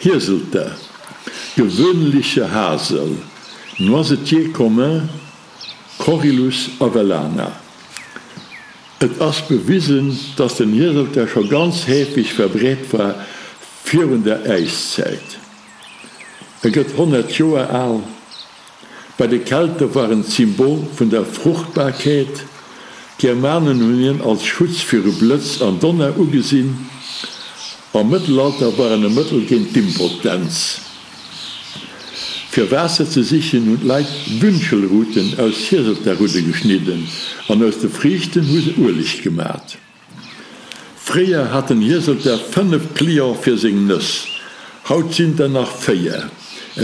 Hieselter, Gewöhnliche Hasel, Noisetier commun, Corylus avellana. Et ass bewisen, dass den Hieselter scho ganz heefeg verbreet war virun der Äiszäit. E gëtt 100 Joer al. Bei de Kelte war en d'Symbol vun der Fruchtbarkeet. D'Germanen hunn hien als Schutz viru Blëtz an Donner ugesinn. Am Mëttelalter war en e Mëttel géint d'Impotenz. Fir Waasser ze sichen hunn d'Leit Wünschelruten aus Hieselterrudde geschnidden an aus de Friichten hu se Ueleg gemat. Fréier hat den Hieselter 5 Cliente fir seng Nëss, haut sinn der nach 4.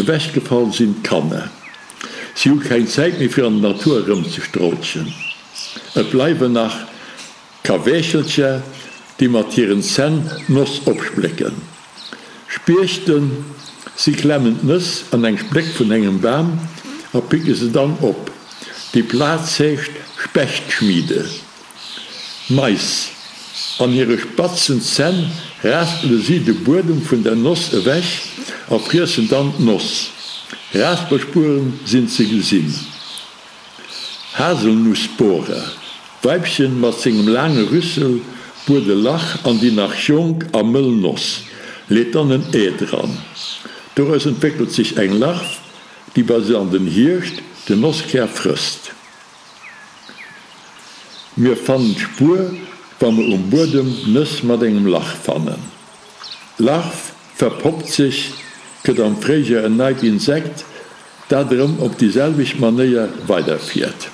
Ewechgefall sinn d'Kanner. Si hu keng Zäit méi fir an der Natur erëmzestrolchen. Et bleiwen nach Kaweechelcher, déi mat hiren Zänn d'Noss opsplécken. Spiechten, si klemmen d'Nëss an eng Spléck vun engem Bam a picke se dann op. Déi Plaz heescht Spechtschmiede. Mais. An hire spatzen Zänn raspele si de Buedem vun der Noss ewech a friessen dann d'Noss. Raspelspueren sinn ze gesinn. Haselnussbohrer, D'Weibchen mat sengem laange Rüssel buert e Lach an déi nach jonk a mëll Noss, leet dann en Ee dran. Doraus entwéckelt sech eng Larv, déi bis an den Hierscht den Nosskär frësst. Mir fannen d'Spuer, wa mer um Buedem Nëss mat engem Lach fannen. D'Larv verpoppt sech, gëtt am Fréijoer en neit Insekt, dat erëm op déi selwecht Manéier weiderfiert.